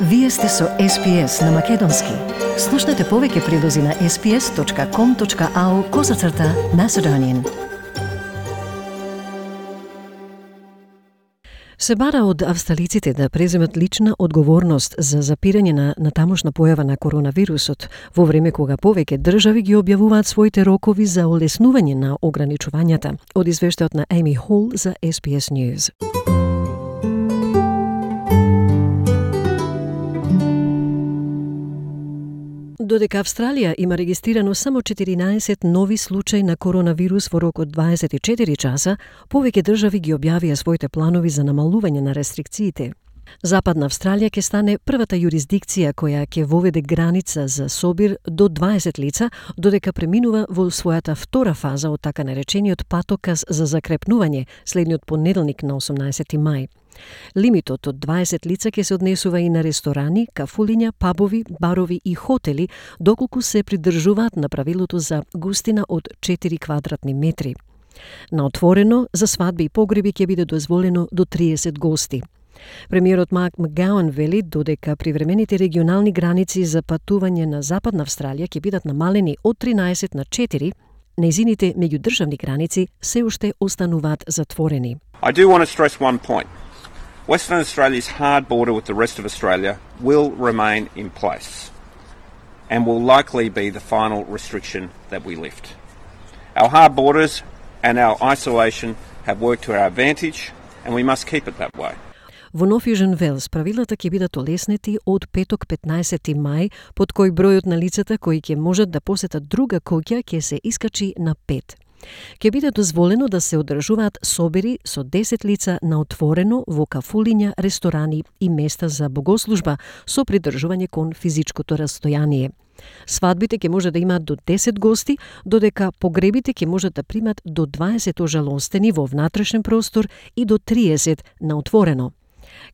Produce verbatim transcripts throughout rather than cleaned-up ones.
Вие сте со Ес Би Ес на Македонски. Слушнете повеќе прилози на ес би ес точка ком точка ау козацрта Macedonian. Се бара од австралиците да преземат лична одговорност за запирање на натамошна појава на коронавирусот, во време кога повеќе држави ги објавуваат своите рокови за олеснување на ограничувањата. Од извештајот на Amy Hall за Ес Би Ес News. Додека Австралија има регистрирано само четиринаесет нови случаи на коронавирус во рок од дваесет и четири часа, повеќе држави ги објавија своите планови за намалување на рестрикциите. Западна Австралија ќе стане првата јурисдикција која ќе воведе граница за собир до дваесет лица, додека преминува во својата втора фаза од така наречениот патоказ за закрепнување следниот понеделник на осумнаесети мај. Лимитот од дваесет лица ќе се однесува и на ресторани, кафулиња, пабови, барови и хотели, доколку се придржуваат на правилото за густина од четири квадратни метри. На отворено, за свадби и погреби ќе биде дозволено до триесет гости. Премиерот Марк Макгауан вели додека привремените регионални граници за патување на Западна Австралија ќе бидат намалени од тринаесет на четири, нејзините меѓудржавни граници се уште остануваат затворени. I do want to stress one point. Western Australia's hard border with the rest of Australia will remain in place and will likely be the final restriction that we lift. Our hard borders and our isolation have worked to our advantage and we must keep it that way. Во Нов Јужен Велс правилата ќе бидат олеснети од петок петнаесети мај, под кој бројот на лицата кои ќе можат да посетат друга куќа ќе се искачи на пет. Ќе биде дозволено да се одржуваат собери со десет лица на отворено во кафулиња, ресторани и места за богослужба со придржување кон физичкото растојание. Свадбите ќе може да имаат до десет гости, додека погребите ќе можат да примат до дваесет ожалостени во внатрешен простор и до триесет на отворено.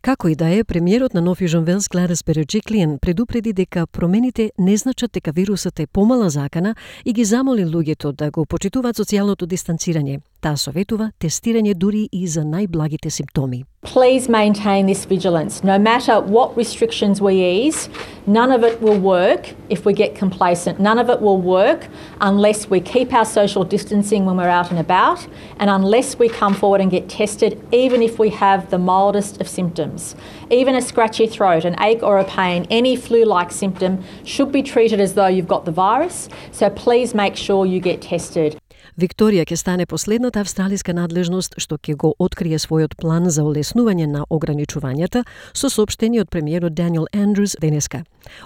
Како и да е, премиерот на Нов Јужен Велс Гледис Береджиклиен предупреди дека промените не значат дека вирусот е помала закана и ги замоли луѓето да го почитуваат социјалното дистанцирање. Таа советува тестирање дури и за најблагите симптоми. Please maintain this vigilance. No matter what restrictions we ease, none of it will work if we get complacent. None of it will work unless we keep our social distancing when we're out and about and unless we come forward and get tested, even if we have the mildest of symptoms. Even a scratchy throat, an ache or a pain, any flu-like symptom should be treated as though you've got the virus. So please make sure you get tested. Викторија ќе стане последната австралиска надлежност што ќе го открие својот план за олеснување на ограничувањата со соопштение од премиерот Даниел Андрус денеска.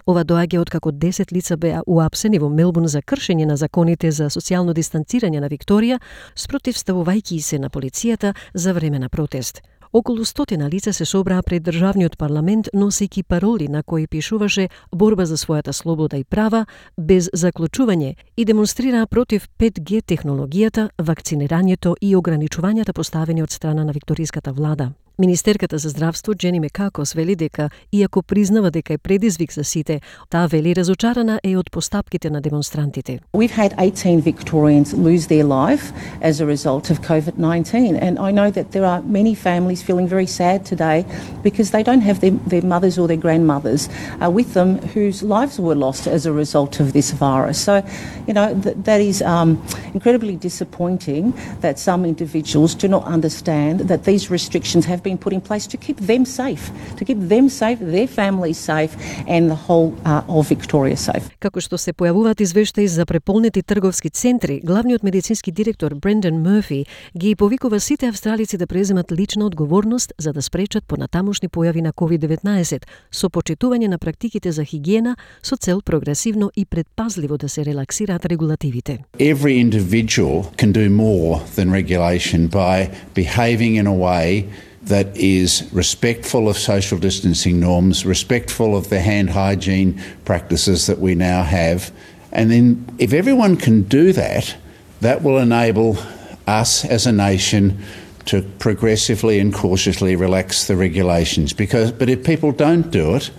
Ова доаѓа откако десет лица беа уапсени во Мелбурн за кршење на законите за социјално дистанцирање на Викторија, спротивставувајќи се на полицијата за време на протест. Околу стотина лица се собраа пред државниот парламент носејќи пароли на кои пишуваше борба за својата слобода и права без заклучување и демонстрираа против пет Г технологијата, вакцинирањето и ограничувањата поставени од страна на викториската влада. Министерката за здравство Джени Мекакос вели дека, иако признава дека е предизвик за сите, таа вели разочарана е од постапките на демонстрантите. We've had eighteen Victorians lose their life as a result of COVID nineteen, and I know that there are many families feeling very sad today because they don't have their, their mothers or their grandmothers uh, with them whose lives were lost as a result of this virus. So, you know, th- that is um, incredibly disappointing that some individuals do not understand that these restrictions have been put in place to keep them safe, to keep them safe, their families safe, and the whole uh, of Victoria safe. Како што се појавуваат извештаи за преполнети трговски центри, главниот медицински директор Брендан Мърфи ги повикува сите австралици да преземат лична одговорност за да спречат понатамошни појави на ковид деветнаесет со почитување на практиките за хигиена со цел прогресивно и предпазливо да се релаксираат регулативите. Every individual can do more than regulation by behaving in a way that is respectful of social distancing norms, respectful of the hand hygiene practices that we now have. And then if everyone can do that, that will enable us as a nation to progressively and cautiously relax the regulations. Because, but if people don't do it,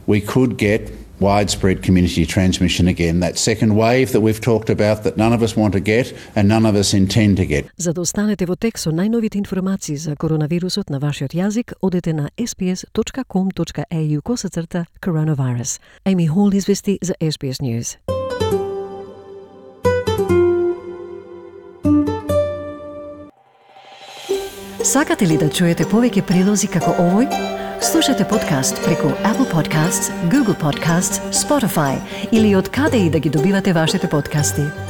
we could get widespread community transmission again, that second wave that we've talked about that none of us want to get and none of us intend to get. За да останете во тек со најновите информации за коронавирусот на вашиот јазик, одете на ес би ес точка ком точка ей ю косацрта coronavirus. Amy Hall извести за Ес Би Ес News. Сакате ли да чуете повеќе прилози како овој? Слушате подкаст преку Apple Podcasts, Google Podcasts, Spotify или од каде и да ги добивате вашите подкасти.